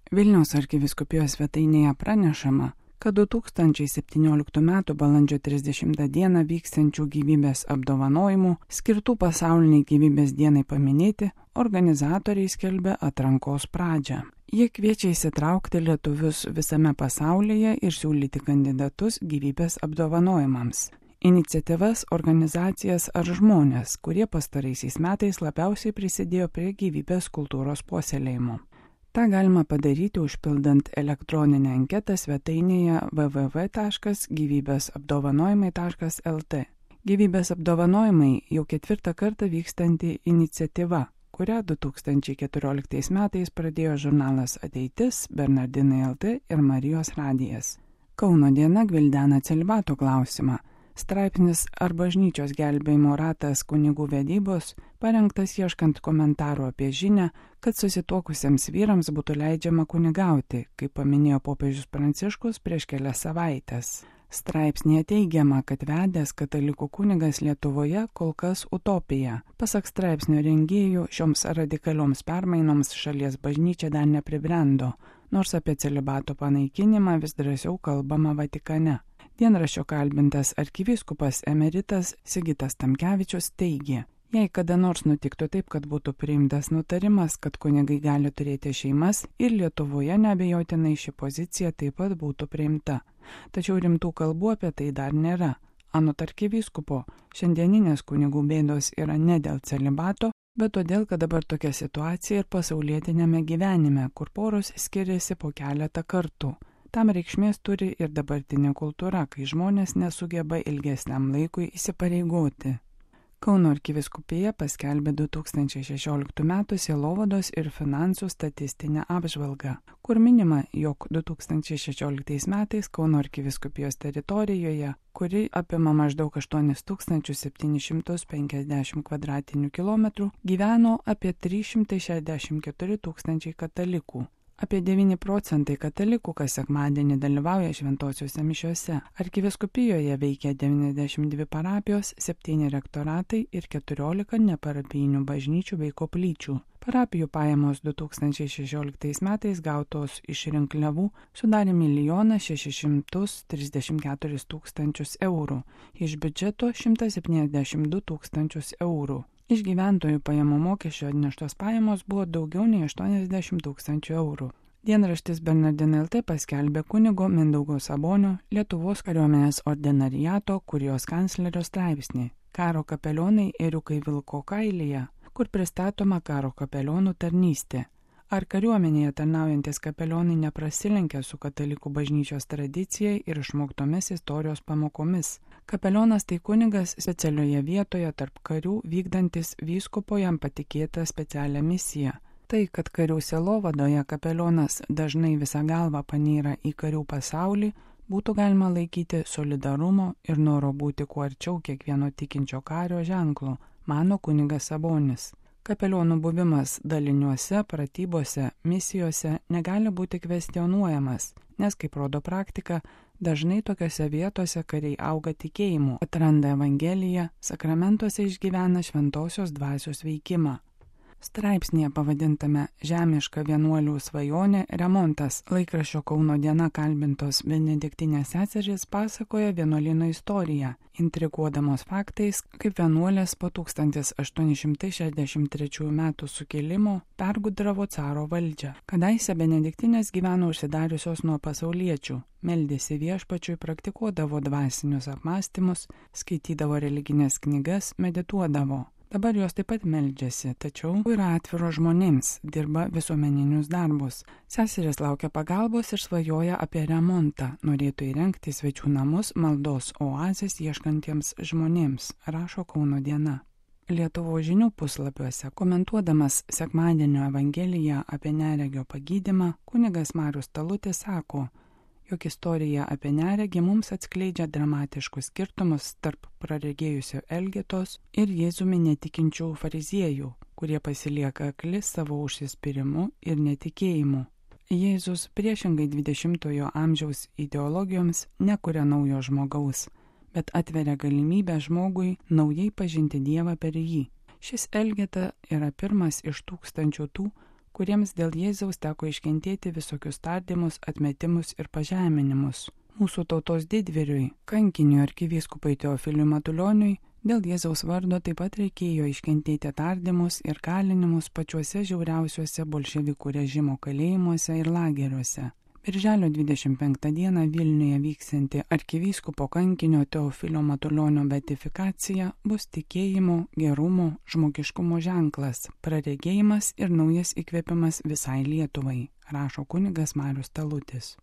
Vilniaus arkivyskupijos svetainėje pranešama, kad 2017 m. balandžio 30 d. vyksiančių gyvybės apdovanojimų skirtų pasauliniai gyvybės dienai paminėti organizatoriai skelbia atrankos pradžią. Jie kviečia įsitraukti lietuvius visame pasaulyje ir siūlyti kandidatus gyvybės apdovanojimams. Iniciatyvas, organizacijas ar žmonės, kurie pastaraisiais metais labiausiai prisidėjo prie gyvybės kultūros puoselėjimo. Ta galima padaryti užpildant elektroninę anketą svetainėje www.gyvybėsapdovanojimai.lt. Gyvybės apdovanojimai jau 4. kartą vykstanti iniciatyva, kurią 2014 metais pradėjo žurnalas Ateitis, Bernardinai LT ir Marijos radijas. Kauno diena gvildena celibato klausimą. Straipsnis ar bažnyčios gelbėjimo ratas kunigų vedybos parengtas ieškant komentarų apie žinią, kad susituokusiems vyrams būtų leidžiama kunigauti, kaip paminėjo popiežius Pranciškus prieš kelias savaitės. Straipsnėje teigiama, kad vedęs katalikų kunigas Lietuvoje kol kas utopija. Pasak straipsnio rengėjų, šioms radikalioms permainoms šalies bažnyčia dar nepribrendo, nors apie celibato panaikinimą vis drąsiau kalbama Vatikane. Dienraščio kalbintas arkivyskupas emeritas Sigitas Tamkevičius teigė, jei kada nors nutiktų taip, kad būtų priimtas nutarimas, kad kunigai gali turėti šeimas ir Lietuvoje neabejotinai ši pozicija taip pat būtų priimta. Tačiau rimtų kalbų apie tai dar nėra. Anot arkivyskupo, šiandieninės kunigų bėdos yra ne dėl celibato, bet todėl, kad dabar tokia situacija ir pasaulietinėme gyvenime, kur poros skiriasi po keletą kartų. Tam reikšmės turi ir dabartinė kultūra, kai žmonės nesugeba ilgesniam laikui įsipareigoti. Kauno arkivyskupija paskelbė 2016 m. sielovados ir finansų statistinę apžvalgą, kur minima, jog 2016 metais Kauno arkivyskupijos teritorijoje, kuri apima maždaug 8750 kvadratinių kilometrų, gyveno apie 364 tūkstančiai katalikų. Apie 9 procentai katalikų kas sekmadienį dalyvauja šventosiuose mišiuose. Arkivyskupijoje veikia 92 parapijos, 7 rektoratai ir 14 neparapijinių bažnyčių bei koplyčių. Parapijų pajamos 2016 metais gautos iš rinkliavų sudarė 1 634 000 eurų, iš biudžeto 172 000 eurų. Iš gyventojų pajamų mokesčio atneštos pajamos buvo daugiau nei 80 000 eurų. Dienraštis Bernardinai LT paskelbė kunigo Mindaugo Sabonio Lietuvos kariuomenės ordinariato kurijos kanclerio straipsnį Karo kapelionai ėriukai vilko kailyje, kur pristatoma karo kapelionų tarnystė. Ar kariuomenėje tarnaujantis kapelionai neprasilenkia su katalikų bažnyčios tradicija ir išmoktomis istorijos pamokomis? Kapelionas tai kunigas specialioje vietoje tarp karių vykdantis vyskupo jam patikėtą specialią misiją. Tai, kad karių sielovadoje kapelionas dažnai visą galvą panyra į karių pasaulį, būtų galima laikyti solidarumo ir noro būti kuo arčiau kiekvieno tikinčio kario ženklu, mano kunigas Sabonis. Kapelionų buvimas daliniuose, pratybose, misijose negali būti kvestionuojamas, nes, kaip rodo praktika, dažnai tokiose vietose kariai auga tikėjimu, atranda Evangeliją, sakramentuose išgyvena šventosios dvasios veikimą. Straipsnėje pavadintame Žemiška vienuolių svajonė remontas laikraščio Kauno diena kalbintos benediktinės seserys pasakoja vienuolyno istoriją, intriguodamos faktais, kaip vienuolės po 1863 metų sukilimo pergudravo caro valdžią. Kadaise benediktinės gyveno užsidariusios nuo pasauliečių, meldėsi viešpačiui, praktikuodavo dvasinius apmąstymus, skaitydavo religinės knygas, medituodavo. Dabar jos taip pat meldžiasi, tačiau yra atviro žmonėms, dirba visuomeninius darbus. Seserys laukia pagalbos ir svajoja apie remontą, norėtų įrengti svečių namus maldos oazės ieškantiems žmonėms, rašo Kauno diena. Lietuvos žinių puslapiuose, komentuodamas sekmadienio Evangeliją apie neregio pagydymą, kunigas Marius Talutis sako, jog istorija apie neregį mums atskleidžia dramatiškus skirtumus tarp praregėjusio Elgetos ir Jėzumi netikinčių fariziejų, kurie pasilieka akli savo užsispyrimu ir netikėjimu. Jėzus priešingai 20-ojo amžiaus ideologijoms nekuria naujo žmogaus, bet atveria galimybę žmogui naujai pažinti Dievą per jį. Šis Elgeta yra pirmas iš tūkstančių tų, kuriems dėl Jėzaus teko iškentėti visokius tardymus, atmetimus ir pažeminimus. Mūsų tautos didvyriui, kankiniui arkivyskupui Teofiliui Matulioniui, dėl Jėzaus vardo taip pat reikėjo iškentėti tardymus ir kalinimus pačiuose žiauriausiuose bolševikų režimo kalėjimuose ir lageriuose. Birželio 25 dieną Vilniuje vyksianti arkivyskupo kankinio Teofilio Matulionio beatifikacija bus tikėjimo, gerumo, žmogiškumo ženklas, praregėjimas ir naujas įkvėpimas visai Lietuvai, rašo kunigas Marius Talutis.